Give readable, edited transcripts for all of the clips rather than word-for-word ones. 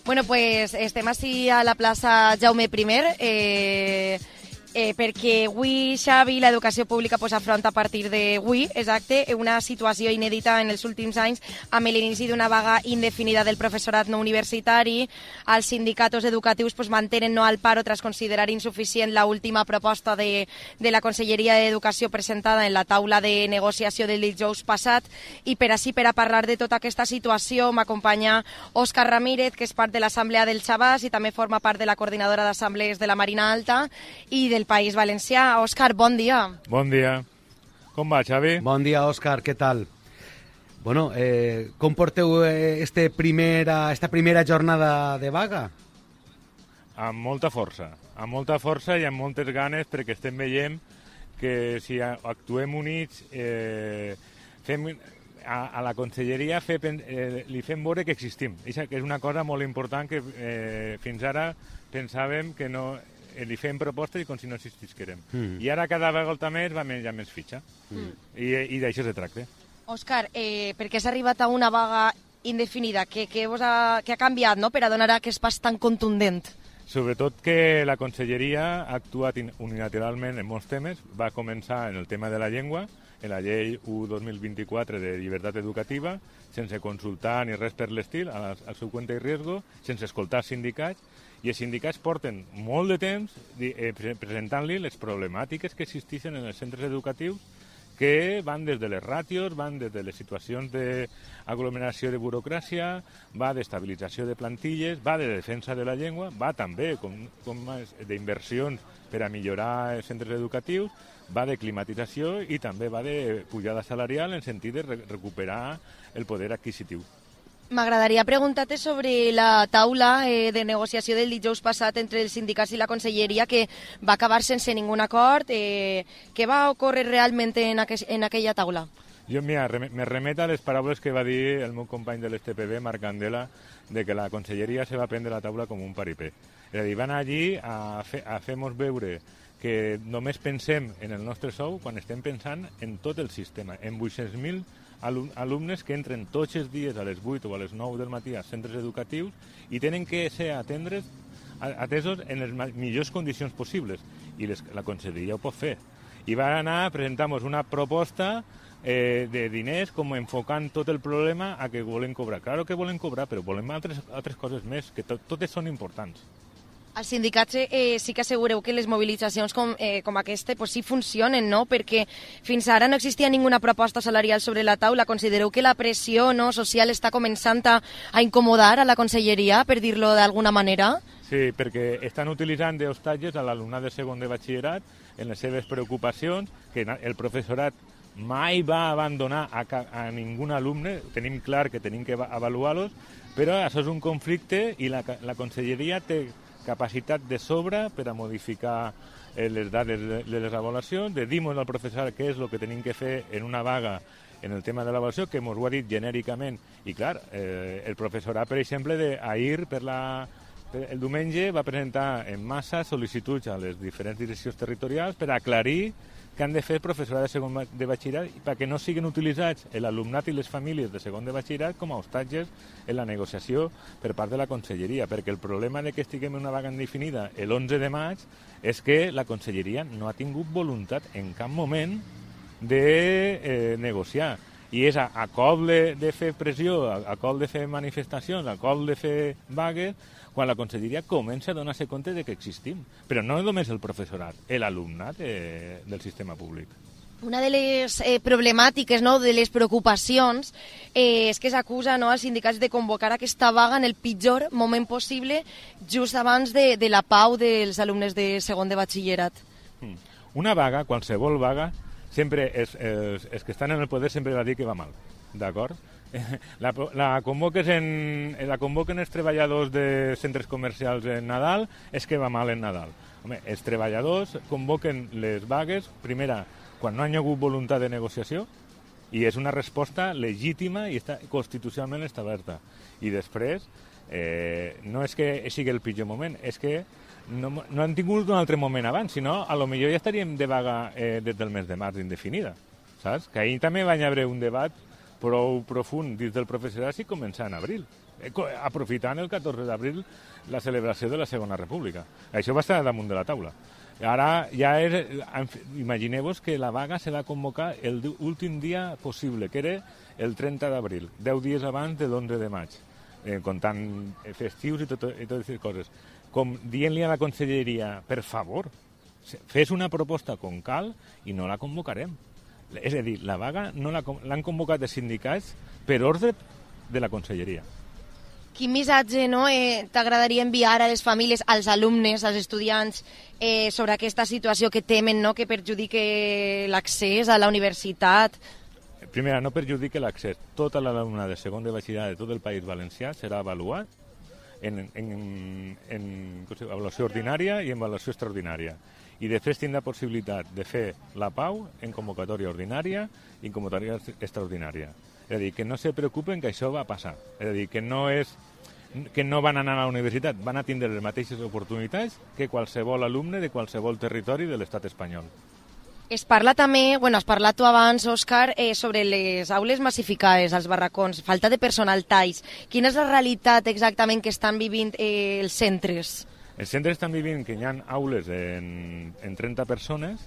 Bueno, pues estem així a la plaça Jaume I, perquè avui, Xavi, l'educació pública afronta a partir d'avui, exacte, una situació inèdita en els últims anys amb l'inici d'una vaga indefinida del professorat no universitari. Els sindicats educatius mantenen no al paro tras considerar insuficient l'última proposta de la Conselleria d'Educació presentada en la taula de negociació del dijous passat, i per a parlar de tota aquesta situació m'acompanya Òscar Ramírez, que és part de l'Assemblea del Xavàs i també forma part de la coordinadora d'assemblees de la Marina Alta i del País Valencià. Òscar, bon dia. Bon dia. Com va, Xavi? Bon dia, Òscar, què tal? Bueno, com porteu esta primera jornada de vaga? Amb molta força i amb moltes ganes, perquè estem veient que si actuem units, a la Conselleria li fem veure que existim. Això que és una cosa molt important que fins ara pensàvem que no... li fem propostes i com si no existisquérem. I ara cada vegada més va menjar més fitxa. I d'això se tracta. Òscar, per què s'ha arribat a una vaga indefinida? Què ha canviat, no?, per a donar aquest pas tan contundent? Sobretot que la Conselleria ha actuat unilateralment en molts temes. Va començar en el tema de la llengua, en la llei 1/2024 de llibertat educativa, sense consultar ni res per l'estil, al seu compte i riesgo, sense escoltar els sindicats, i els sindicats porten molt de temps presentant-li les problemàtiques que existeixen en els centres educatius, que van des de les ràtios, van des de les situacions d'aglomeració de burocràcia, va d'estabilització de plantilles, va de defensa de la llengua, va també d'inversions per a millorar els centres educatius, va de climatització i també va de pujada salarial en sentit de recuperar el poder adquisitiu. M'agradaria preguntar-te sobre la taula de negociació del dijous passat entre els sindicats i la Conselleria, que va acabar sense ningun acord. Què va ocórrer realment en aquella taula? Jo me remeto a les paraules que va dir el meu company de l'STPB, Marc Candela, de que la Conselleria se va prendre la taula com un paripé. És a dir, van allí a fer-nos veure que només pensem en el nostre sou quan estem pensant en tot el sistema, en 800.000 alumnes que entren tots els dies a les 8 o a les 9 del matí als centres educatius i tenen que ser atesos en les millors condicions possibles, i la Conselleria ho pot fer. I va anar a presentar-nos una proposta de diners, com enfocant tot el problema a que volen cobrar. Claro que volen cobrar, però volem altres coses més, que totes són importants. Els sindicats sí que assegureu que les mobilitzacions com aquesta sí funcionen, no? Perquè fins ara no existia ninguna proposta salarial sobre la taula. Considereu que la pressió social està començant a incomodar a la Conselleria, per dir-lo d'alguna manera? Sí, perquè estan utilitzant d'hostatges a l'alumnat de segon de batxillerat en les seves preocupacions, que el professorat mai va abandonar a ningú alumne. Tenim clar que tenim que avaluar-los, però això és un conflicte i la Conselleria té capacitat de sobre per a modificar les dades de les avaluacions, de dir-nos al professorat què és el que tenim que fer en una vaga en el tema de l'avaluació, que ens ho ha dit genèricament. I clar, el professorat, per exemple, ahir el diumenge va presentar en massa sol·licituds a les diferents direccions territorials per aclarir que han de fer el professorat de segon de batxillerat perquè no siguin utilitzats l'alumnat i les famílies de segon de batxillerat com a hostatges en la negociació per part de la Conselleria, perquè el problema de que estiguem en una vaga indefinida l'11 de maig és que la Conselleria no ha tingut voluntat en cap moment de negociar. I és a cop de fer pressió, a cop de fer manifestacions, a cop de fer vagues, quan la Conselleria comença a donar-se compte de que existim. Però no només el professorat, l'alumnat del sistema públic. Una de les problemàtiques, de les preocupacions, és que s'acusa als sindicats de convocar aquesta vaga en el pitjor moment possible, just abans de la pau dels alumnes de segon de batxillerat. Una vaga, qualsevol vaga, sempre els que estan en el poder sempre va dir que va mal, d'acord? La convoquen els treballadors de centres comercials en Nadal, és que va mal en Nadal. Home, els treballadors convoquen les vagues, primera, quan no hi ha hagut voluntat de negociació, i és una resposta legítima i està constitucionalment establerta. I després, no és que sigui el pitjor moment, és que no han tingut un altre moment abans, sinó a lo millor ja estaríem de vaga des del mes de març indefinida, saps? Que ahir també va haver un debat prou profund dins del professorat si comença en abril. aprofitant el 14 d'abril la celebració de la Segona República. Això va estar damunt de la taula. Ara ja imagineu-vos que la vaga se va convocar l'últim dia possible, que era el 30 d'abril, 10 dies abans de l'11 de maig, comptant festius i totes aquestes coses. Com dient-li a la conselleria, per favor, fes una proposta com cal i no la convocarem. És a dir, la vaga l'han convocat els sindicats per ordre de la conselleria. Quin missatge t'agradaria enviar a les famílies, als alumnes, als estudiants, sobre aquesta situació que temen que perjudique l'accés a la universitat? Primera, no perjudique l'accés. Tota l'alumnat de segon de batxillerat de tot el País Valencià serà avaluat en avaluació ordinària i en avaluació extraordinària. I després tindrà possibilitat de fer la pau en convocatòria ordinària i en convocatòria extraordinària. És a dir, que no se preocupen que això va passar. És a dir, que no van anar a la universitat, van a tindre les mateixes oportunitats que qualsevol alumne de qualsevol territori de l'estat espanyol. Es parla també, has parlat tu abans, Òscar, sobre les aules massificades, els barracons, falta de personal talls. Quina és la realitat exactament que estan vivint els centres? Els centres estan vivint que hi ha aules en 30 persones,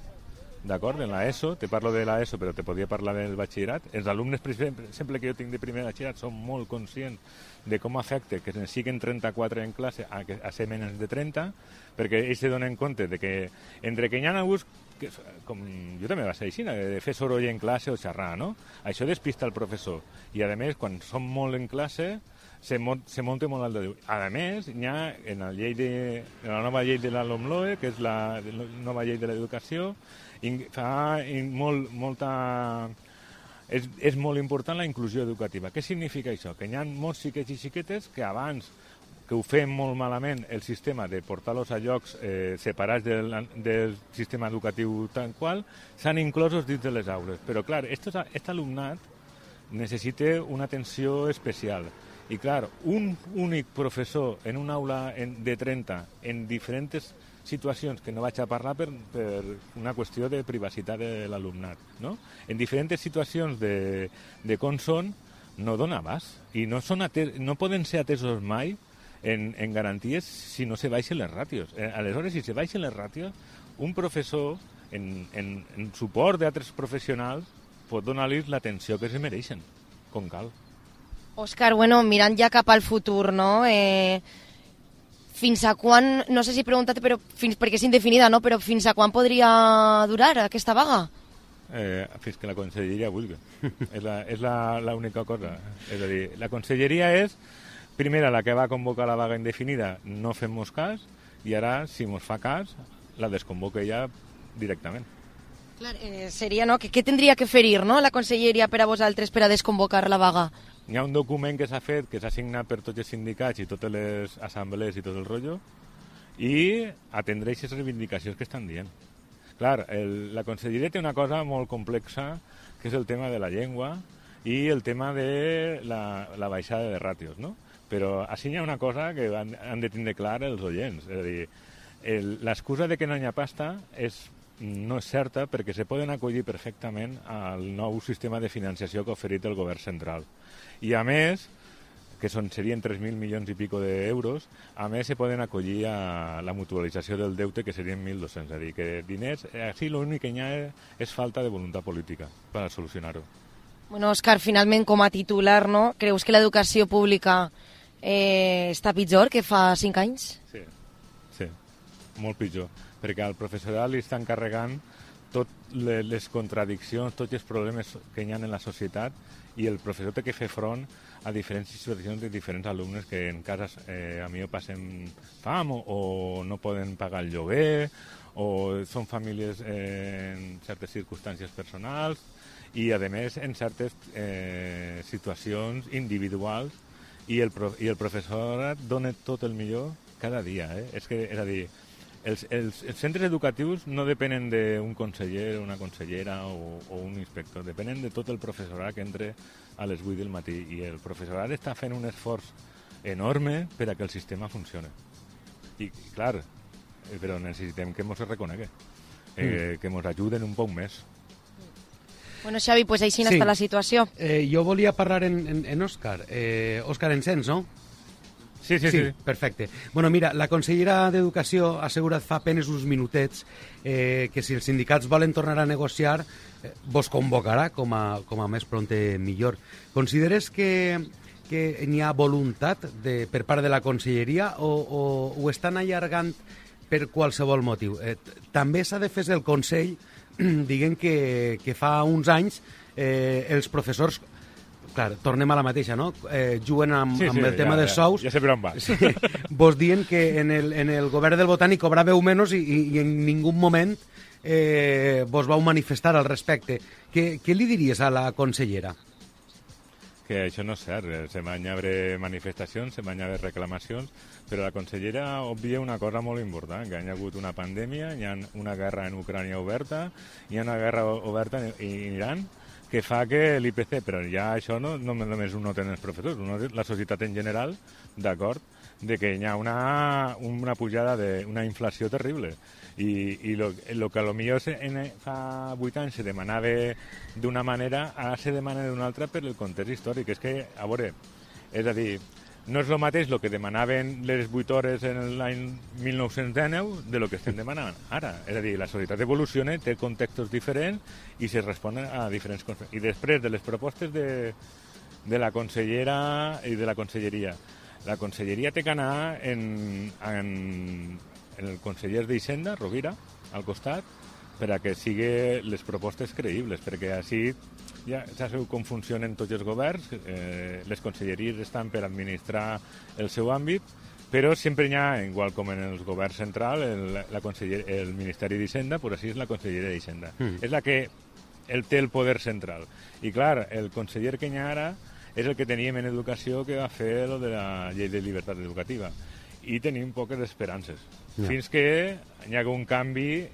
d'acord, en l'ESO, te parlo de l'ESO però te podia parlar del batxillerat. Els alumnes, per exemple, que jo tinc de primer batxillerat són molt conscients de com afecta que ne siguin 34 en classe a ser menys de 30, perquè ells se donen compte de que entre que hi ha alguns, com jo també va ser així, de fer soroll en classe o xerrar, no? Això despista el professor. I a més, quan som molt en classe, se munta molt alt de Déu. A més, hi ha en la nova llei de la LOMLOE, que és la nova llei de l'educació, és molt important la inclusió educativa. Què significa això? Que hi ha molts xiquets i xiquetes que abans, que ho fem molt malament, el sistema de portar-los a llocs separats del sistema educatiu tal qual, s'han inclosos dins de les aules. Però, clar, aquest alumnat necessita una atenció especial. I, clar, un únic professor en una aula de 30 en diferents situacions que no vaig a parlar per una qüestió de privacitat de l'alumnat, no? En diferents situacions de com són, no dona abast. I no poden ser atesos mai en garanties si no se baixen les ràtios. Aleshores, si se baixen les ràtios, un professor, en suport d'altres professionals, pot donar-los l'atenció que se mereixen, com cal. Òscar, mirant ja cap al futur, no? Fins a quan, no sé si preguntar-te, perquè és indefinida, no? Però fins a quan podria durar aquesta vaga? Fins que la conselleria vulgui. És l'única cosa. És a dir, la conselleria és, primera, la que va convocar la vaga indefinida, no fem-nos cas, i ara, si mos fa cas, la desconvoca ja directament. Clar, seria, no? Què tindria que fer-hi, no? La conselleria per a vosaltres per a desconvocar la vaga? Hi ha un document que s'ha fet, que s'ha signat per tots els sindicats i totes les assemblees i tot el rotllo, i atendre aquestes reivindicacions que estan dient. Clar, la conselleria té una cosa molt complexa, que és el tema de la llengua i el tema de la baixada de ràtios, no? Però així hi ha una cosa que han de tindre clar els oients. És a dir, l'excusa de que no hi ha pasta no és certa perquè se poden acollir perfectament al nou sistema de financiació que ha oferit el govern central. I a més, que serien 3.000 milions i pico d'euros, a més se poden acollir a la mutualització del deute, que serien 1.200. És a dir, que diners, així l'únic que hi ha és falta de voluntat política per solucionar-ho. Òscar, finalment, com a titular, no? Creus que l'educació pública està pitjor que fa 5 anys? Sí, molt pitjor, perquè al professorat li estan carregant totes les contradiccions, tots els problemes que hi ha en la societat, i el professor té que fer front a diferents situacions de diferents alumnes que en cases a millor passen fam o no poden pagar el lloguer o són famílies en certes circumstàncies personals i, a més, en certes situacions individuals i el professorat dona tot el millor cada dia. És a dir, els centres educatius no depenen d'un conseller, una consellera o un inspector, depenen de tot el professorat que entra a les 8 del matí i el professorat està fent un esforç enorme per a que el sistema funcioni. I, clar, però necessitem que ens reconegui, que ens ajuden un poc més. Bueno, Xavi, pues així està la situació. Jo volia parlar en Òscar. Òscar, ens sents, no? Sí. Perfecte. Bueno, mira, la consellera d'Educació ha assegurat fa apenes uns minutets que si els sindicats volen tornar a negociar, vos convocarà com a més prompte millor. Consideres que n'hi ha voluntat per part de la conselleria o ho estan allargant per qualsevol motiu? També s'ha de fer el Consell, diguem que fa uns anys els professors, clar, tornem a la mateixa, no? Juguen amb el tema dels sous. Ja sé per on vas. Sí, vos dient que en el govern del Botànic cobràveu menys i en ningú moment vos vau manifestar al respecte. Què li diries a la consellera? Que això no és cert, se van haver manifestacions, se van haver reclamacions, però la consellera obvia una cosa molt important, que hi ha hagut una pandèmia, hi ha una guerra en Ucrània oberta, hi ha una guerra oberta en Iran, que fa que l'IPC, però ja això no només ho noten els professors, la societat en general, d'acord, de que hi ha una pujada, una inflació terrible. I lo que potser fa 8 anys se demanava d'una manera, ara se demana d'una altra per el context històric. És que, a veure, és a dir, no és el mateix el que demanaven les 8 hores en l'any 1919 de lo que estem demanant ara. És a dir, la societat evoluciona, té contextos diferents i se responen a diferents coses. I després de les propostes de la consellera i de la conselleria, la conselleria té que anar en el conseller d'Hisenda, Rovira, al costat, per a que sigui les propostes creïbles, perquè així ja sabeu com funcionen tots els governs, les conselleries estan per administrar el seu àmbit, però sempre hi ha, igual com en els governs centrals, el Ministeri d'Hisenda, però així és la conselleria d'Hisenda. És la que té el poder central. I clar, el conseller que hi ha ara és el que teníem en educació que va fer lo de la llei de llibertat educativa. I tenim poques esperances. Fins que hi ha un canvi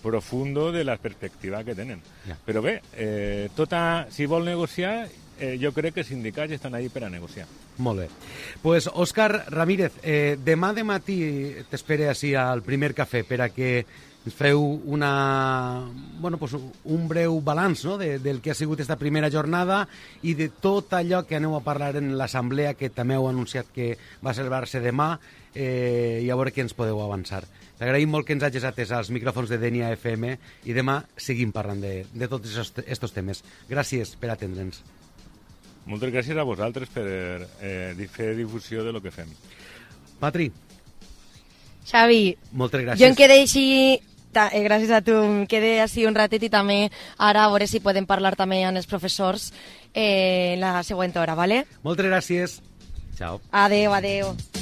profundo de la perspectiva que tenen. Però bé, si vol negociar, jo crec que els sindicats estan ahí per a negociar. Molt bé. Pues, Òscar Ramírez, demà de matí t'espere així al primer cafè per a que ens feu un breu balanç, no?, del que ha sigut aquesta primera jornada i de tot allò que aneu a parlar en l'assemblea, que també heu anunciat que va celebrar-se demà, i a veure què ens podeu avançar. T'agraïm molt que ens hagis atès als micròfons de Denia FM i demà seguim parlant de tots aquests temes. Gràcies per atendre'ns. Moltes gràcies a vosaltres per fer difusió de lo que fem. Patri. Xavi, moltes gràcies. Jo em quedé així, gràcies a tu, em quedé així un ratet i també ara a veure si podem parlar també amb els professors la següent hora, ¿vale? Moltes gràcies. Ciao. Adeu.